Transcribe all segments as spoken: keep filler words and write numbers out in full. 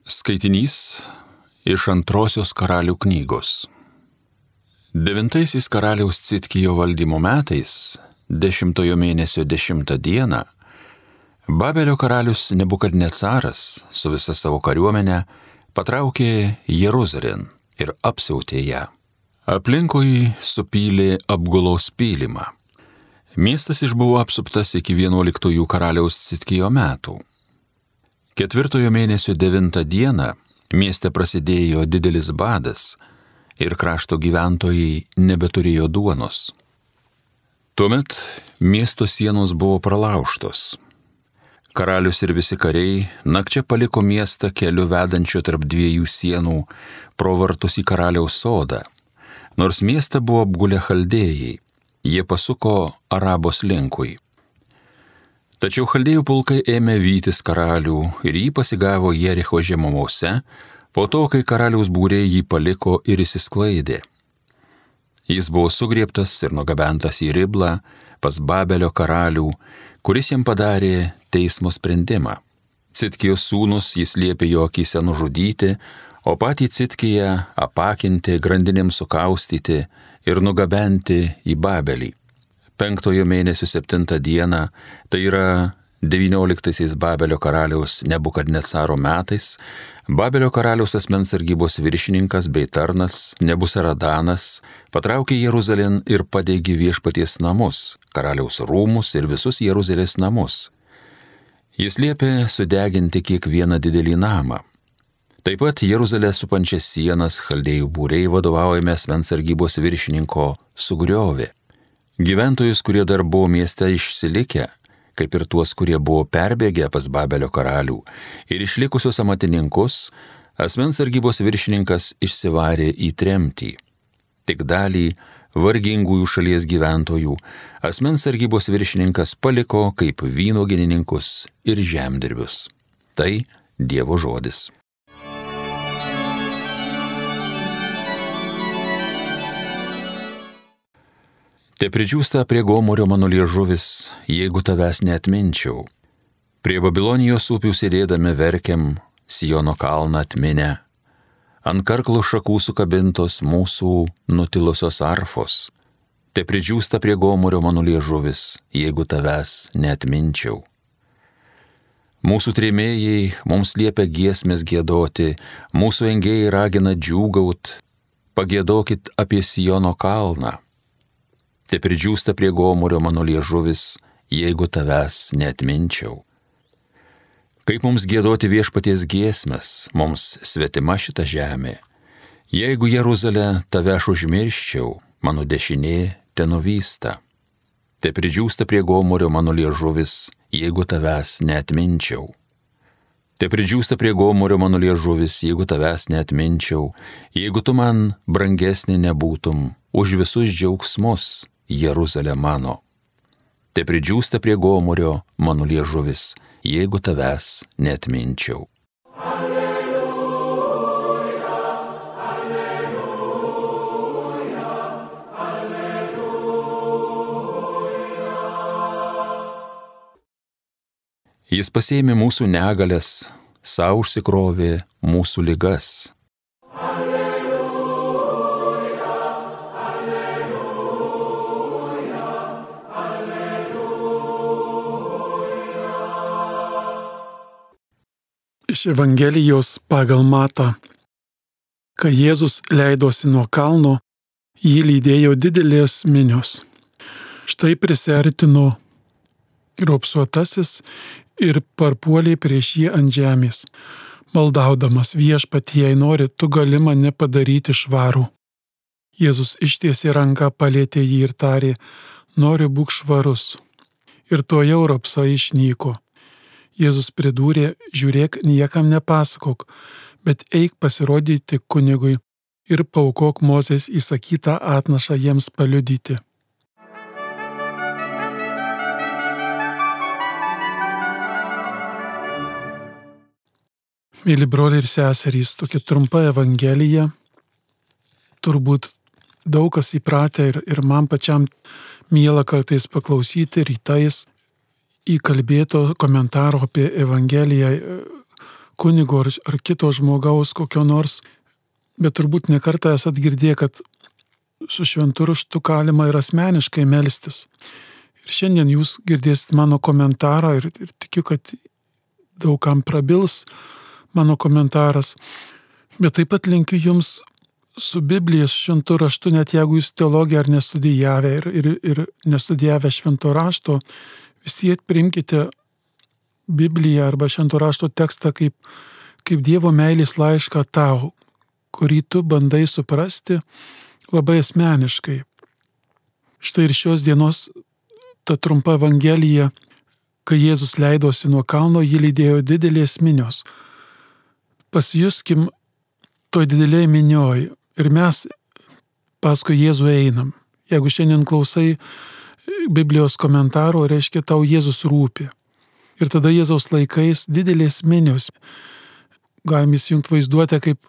Skaitinys iš antrosios karalių knygos. Devintaisiais karaliaus Citkijo valdymo metais, dešimtojo mėnesio dešimtą dieną, Babelio karalius Nebukadnecaras su visa savo kariuomene patraukė Jeruzalėn ir apsiautė ją. Aplinkui supylė apgulos pylimą. Miestas išbuvo apsuptas iki vienuoliktųjų karaliaus Citkijo metų. Ketvirtojo mėnesio devintą dieną mieste prasidėjo didelis badas ir krašto gyventojai nebeturėjo duonos. Tuomet miesto sienos buvo pralaužtos. Karalius ir visi kariai nakčia paliko miestą keliu vedančiu tarp dviejų sienų pro vartus į karaliaus sodą. Nors miestą buvo apgulę chaldėjai, jie pasuko Arabos linkui. Tačiau chaldėjų pulkai ėmė vytis karalių ir jį pasigavo Jericho žemumose, po to, kai karaliaus būriai jį paliko ir išsisklaidė. Jis buvo sugriebtas ir nugabentas į Riblą pas Babelio karalių, kuris jam padarė teismo sprendimą. Citkijos sūnus jis liepė jo akyse nužudyti, o patį Citkiją apakinti, grandinėms sukaustyti ir nugabenti į Babelį. Penktojo mėnesio septintą dieną, tai yra devynioliktaisiais Babelio karaliaus Nebukadnecaro metais, Babelio karaliaus asmens sargybos viršininkas bei tarnas Nebusaradanas patraukė Jeruzalėn ir padegė viešpaties namus, karaliaus rūmus ir visus Jeruzalės namus. Jis liepė sudeginti kiekvieną didelį namą. Taip pat Jeruzalę supančias sienas chaldėjų būriai vadovaujami asmens sargybos viršininko sugriovė. Gyventojus, kurie dar buvo mieste išsilikę, kaip ir tuos, kurie buvo perbėgę pas Babelio karalių, ir išlikusius amatininkus, asmens sargybos viršininkas išsivarė į tremtį. Tik dalį vargingųjų šalies gyventojų asmens sargybos viršininkas paliko kaip vynuogininkus ir žemdirbius. Tai Dievo žodis. Te pridžiūsta prie Gomorio mano liežuvis, jeigu tavęs neatminčiau. Prie Babilonijos upių sėdėdami verkiam, Siono kalną atminę. Ant karklų šakų sukabintos mūsų nutilusios arfos. Te pridžiūsta prie Gomorio mano liežuvis, jeigu tavęs neatminčiau. Mūsų trėmėjai mums liepia giesmės giedoti, mūsų engėjai ragina džiūgaut, pagiedokit apie Siono kalną. Te pridžiūsta prie Gomorio mano liežuvis, jeigu tavęs neatminčiau. Kaip mums giedoti viešpaties giesmes, mums svetima šita žemė. Jeigu Jeruzalę tave aš užmirščiau, mano dešinė te nuvysta. Te pridžiūsta prie Gomorio mano liežuvis, jeigu tavęs neatminčiau. Te pridžiūsta prie Gomorio mano liežuvis, jeigu tavęs neatminčiau, jeigu tu man brangesnė nebūtum už visus džiaugsmus, Jeruzalė mano. Te pridžiūsta prie Gomorio mano liežuvis, jeigu tavęs neatminčiau. Alleluja, alleluja, alleluja. Jis pasėmė mūsų negalės, sau užsikrovė mūsų ligas. Iš Evangelijos pagal Matą. Kai Jėzus leidosi nuo kalno, jį lydėjo didelės minios. Štai prisiartino raupsuotasis ir parpuolė prieš jį ant žemės, maldaudamas: viešpatie, jei nori, tu gali mane padaryti švarų. Jėzus ištiesė ranką, palietė jį ir tarė: noriu, būk švarus. Ir tuojau raupsa išnyko. Jėzus pridūrė: žiūrėk, niekam nepasakok, bet eik pasirodyti kunigui ir paaukok Mozės įsakytą atnašą jiems paliudyti. Mėly broliai ir seserys, tokia trumpa evangelija, turbūt daug kas įpratę ir, ir man pačiam miela kartais paklausyti rytais įkalbėto komentaro apie Evangeliją kunigo ar, ar kito žmogaus kokio nors, bet turbūt nekartą esat girdėję, kad su šventu raštu galima ir asmeniškai melstis. Ir šiandien jūs girdėsit mano komentarą ir, ir tikiu, kad daugam prabils mano komentaras. Bet taip pat linkiu jums su Biblija, su šventu raštu, net jeigu jūs teologiją ar nestudijavę ir, ir, ir nestudijavę švento rašto, vis tiek priimkite Bibliją arba švento rašto tekstą kaip, kaip Dievo meilės laišką tau, kurį tu bandai suprasti labai asmeniškai. Štai ir šios dienos ta trumpa evangelija, kai Jėzus leidosi nuo kalno, jį lydėjo didelės minios. Pasijuskim toj didelėj minioj ir mes paskui Jėzų einam. Jeigu šiandien klausai Biblijos komentaro, reiškia tau Jėzus rūpi. Ir tada Jėzaus laikais didelės minios. Galim įsijungti vaizduotę, kaip,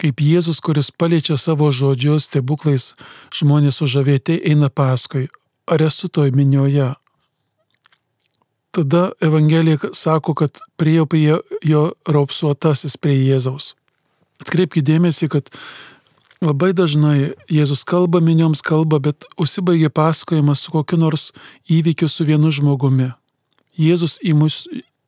kaip Jėzus, kuris paliečia savo žodžius, stebuklais, žmonės sužavėti eina paskui. Ar esu toj minioje? Tada Evangelija sako, kad priėjo prie jo raupsuotasis prie Jėzaus. Atkreipkite dėmesį, kad labai dažnai Jėzus kalba, minioms kalba, bet užsibaigė pasakojimas su kokiu nors įvykiu su vienu žmogumi. Jėzus į mus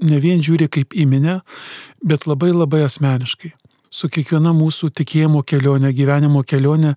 ne vien žiūri kaip į minę, bet labai labai asmeniškai. Su kiekviena mūsų tikėjimo kelionė, gyvenimo kelionė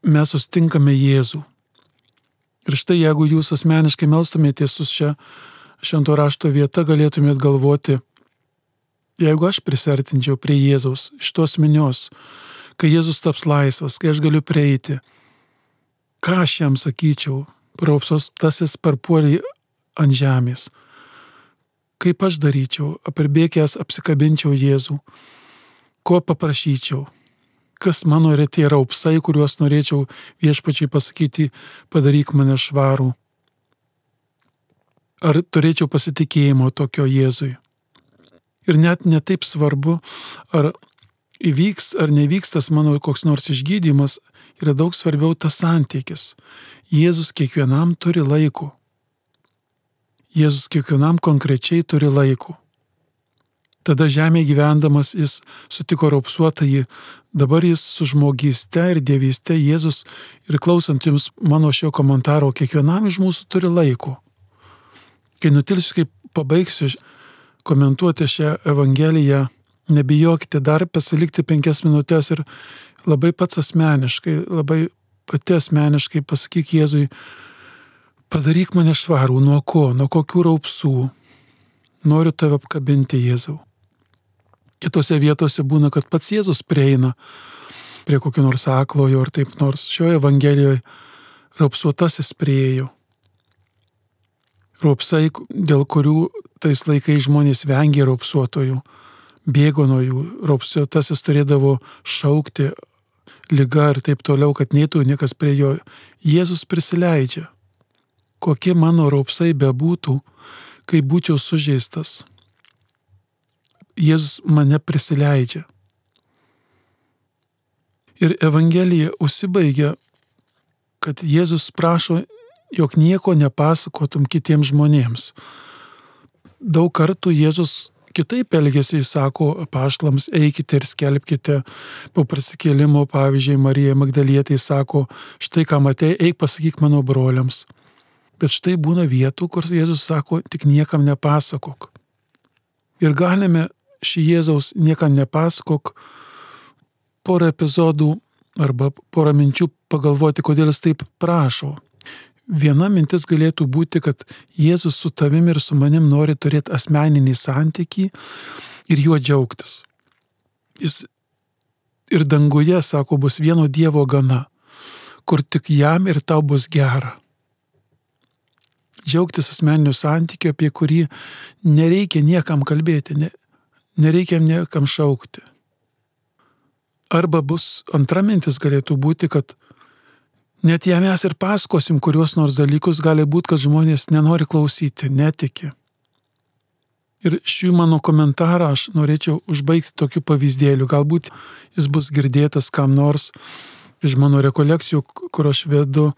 mes sustinkame Jėzų. Ir štai jeigu jūs asmeniškai melstumėtės su šia švento rašto vieta, galėtumėt galvoti, jeigu aš prisertinčiau prie Jėzaus, iš tos minios, kai Jėzus taps laisvas, kai aš galiu prieiti, ką aš jam sakyčiau, raupsuotasis parpuolė ant žemės, kaip aš daryčiau, apirbėgęs apsikabinčiau Jėzų, ko paprašyčiau, kas mano yra tie raupsai, kuriuos norėčiau viešpačiai pasakyti, padaryk mane švarų. Ar turėčiau pasitikėjimo tokio Jėzui. Ir net netaip svarbu, ar įvyks ar nevyks tas mano koks nors išgydymas, yra daug svarbiau tas santykis. Jėzus kiekvienam turi laiko. Jėzus kiekvienam konkrečiai turi laiko. Tada žemėje gyvendamas jis sutiko raupsuotąjį, dabar jis su žmogyste ir dievyste Jėzus ir klausant jums mano šio komentaro, kiekvienam iš mūsų turi laiko. Kai nutilsiu, kaip pabaigsiu komentuoti šią Evangeliją, nebijokite dar pasilikti penkias minutės ir labai pats asmeniškai, labai pati asmeniškai pasakyk Jėzui, padaryk mane švarų, nuo ko, nuo kokių raupsų. Noriu tave apkabinti, Jėzau. Kitose vietose būna, kad pats Jėzus prieina prie kokio nors aklojo ar taip nors. Šioje Evangelijoje raupsuotasis priėjo. Raupsai, dėl kurių tais laikais žmonės vengė raupsuotojų, bėgo nuo jų. Raupsuotasis turėdavo šaukti liga ir taip toliau, kad neitų niekas prie jo. Jėzus prisileidžia. Kokie mano raupsai bebūtų, kai būčiau sužeistas. Jėzus mane prisileidžia. Ir Evangelija užsibaigia, kad Jėzus prašo, jog nieko nepasakotum kitiems žmonėms. Daug kartų Jėzus kitaip elgėsi, jis sako apaštalams, eikite ir skelbkite. Po prisikėlimo, pavyzdžiui, Marija Magdalietė sako, štai ką matei, eik pasakyk mano broliams. Bet štai būna vietų, kur Jėzus sako, tik niekam nepasakok. Ir galime šį Jėzaus niekam nepasakok porą epizodų arba porą minčių pagalvoti, kodėl jis taip prašo. Viena mintis galėtų būti, kad Jėzus su tavim ir su manim nori turėti asmeninį santykį ir juo džiaugtis. Jis ir danguje, sako, bus vieno Dievo gana, kur tik jam ir tau bus gera. Džiaugtis asmeniniu santykiu, apie kurį nereikia niekam kalbėti, ne, nereikia niekam šaukti. Arba bus antra mintis galėtų būti, kad net jei mes ir pasakosim kuriuos nors dalykus, gali būti, kad žmonės nenori klausyti, netiki. Ir šių mano komentarą aš norėčiau užbaigti tokiu pavyzdėliu. Galbūt jis bus girdėtas kam nors iš mano rekolekcijų, kur aš vedu,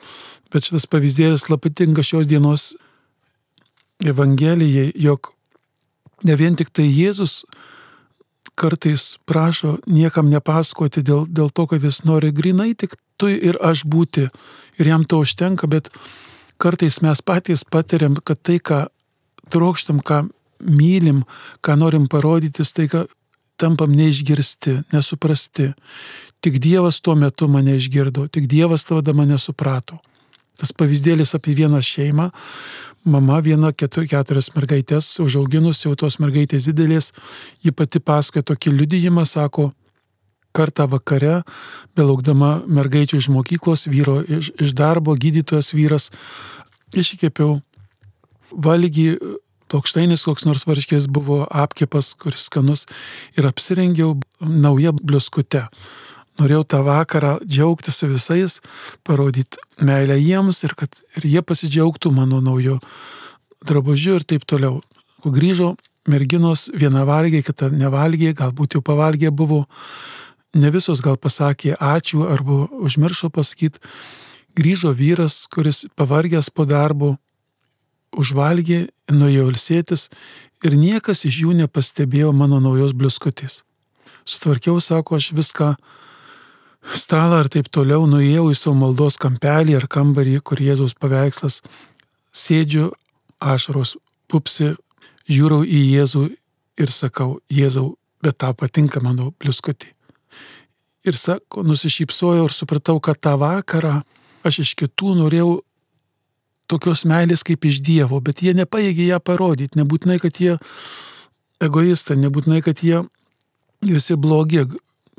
bet šitas pavyzdėlis labai tinka šios dienos Evangelijai, jog ne vien tik tai Jėzus kartais prašo niekam nepasakoti dėl, dėl to, kad jis nori grinai tik tu ir aš būti ir jam to užtenka, bet kartais mes patys patiriam, kad tai, ką trokštam, ką mylim, ką norim parodyti, tai ką tampam neišgirsti, nesuprasti. Tik Dievas tuo metu mane išgirdo, tik Dievas tada mane suprato. Tas pavyzdėlis apie vieną šeimą, mama viena ketur, keturias mergaitės užauginus, jau tos mergaitės didelės, ji pati pasakoja tokį liudijimą, sako, kartą vakare, belaukdama mergaičių iš mokyklos, vyro iš, iš darbo, gydytojas vyras, iškepiau valgį, plokštainis koks nors varškės buvo apkepas, kuris skanus, ir apsirengiau naują bliuskute. Norėjau tą vakarą džiaugtis su visais, parodyti meilę jiems ir kad ir jie pasidžiaugtų mano naujo drabužiu ir taip toliau. Kai grįžo merginos, viena valgė, kita nevalgė, galbūt jau pavalgė buvo, ne visos gal pasakė ačiū arba užmiršo pasakyti. Grįžo vyras, kuris pavargęs po darbo, užvalgė, nuėjo ilsėtis ir niekas iš jų nepastebėjo mano naujos bliuskutės. Sutvarkiau, sako, aš viską stalą ir taip toliau, nuėjau į savo maldos kampelį ar kambarį, kur Jėzaus paveikslas, sėdžiu, ašaros pupsi, žiūrau į Jėzų ir sakau, Jėzau, bet tau patinka mano bliuskutė. Ir sako, nusišypsojau ir supratau, kad tą vakarą aš iš kitų norėjau tokios meilės kaip iš Dievo, bet jie nepajėgė ją parodyti, nebūtinai, kad jie egoistai, nebūtinai, kad jie visi blogi,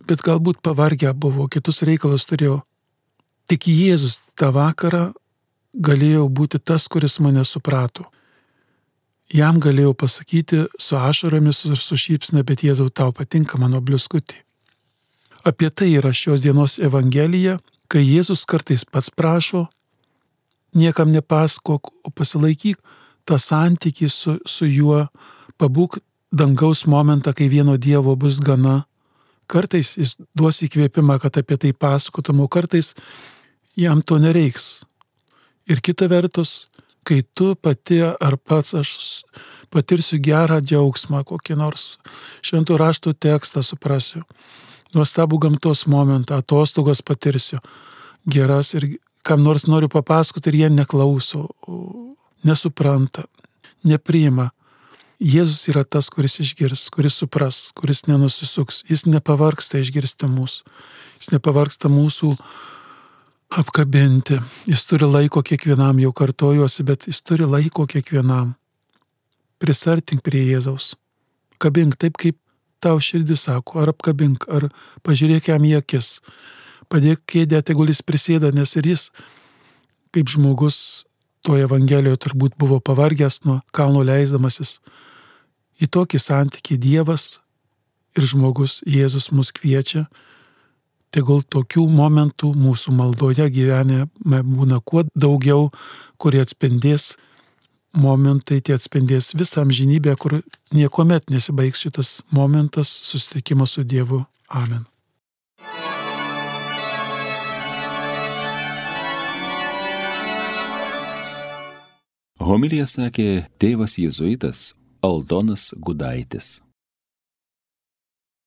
bet galbūt pavargę buvo, kitus reikalus turėjo. Tik Jėzus tą vakarą galėjo būti tas, kuris mane suprato. Jam galėjau pasakyti su ašaromis ir su šypsna, bet Jėzau, tau patinka mano bliuskutė. Apie tai yra šios dienos Evangelija, kai Jėzus kartais pats prašo, niekam nepasakok, o pasilaikyk tą santykį su, su juo, pabūk dangaus momentą, kai vieno Dievo bus gana. Kartais jis duos įkvėpimą, kad apie tai pasakotum, o kartais jam to nereiks. Ir kita vertus, kai tu pati ar pats aš patirsiu gerą džiaugsmą, kokį nors šventų raštų tekstą suprasiu, nuostabų gamtos momentą, atostogas patirsiu, geras ir kam nors noriu papasakoti ir jie neklauso, nesupranta, nepriima. Jėzus yra tas, kuris išgirs, kuris supras, kuris nenusisuks. Jis nepavargsta išgirsti mūsų. Jis nepavargsta mūsų apkabinti. Jis turi laiko kiekvienam, jau kartojuosi, bet jis turi laiko kiekvienam. Prisartink prie Jėzaus. Kabink taip, kaip tau širdis sako, ar apkabink, ar pažiūrėk jam į akis. Padėk kėdę, tegul jis prisėda, nes ir jis, kaip žmogus, toje Evangelijoje turbūt buvo pavargęs nuo kalno leisdamasis. Į tokį santykį Dievas ir žmogus Jėzus mus kviečia, tegul tokių momentų mūsų maldoje gyvenime būna kuo daugiau, kurie atspindės momentai, tie atspindės visą amžinybę, kur niekuomet nesibaigs šitas momentas susitikimo su Dievu. Amen. Homiliją sakė tėvas jėzuitas Aldonas Gudaitis.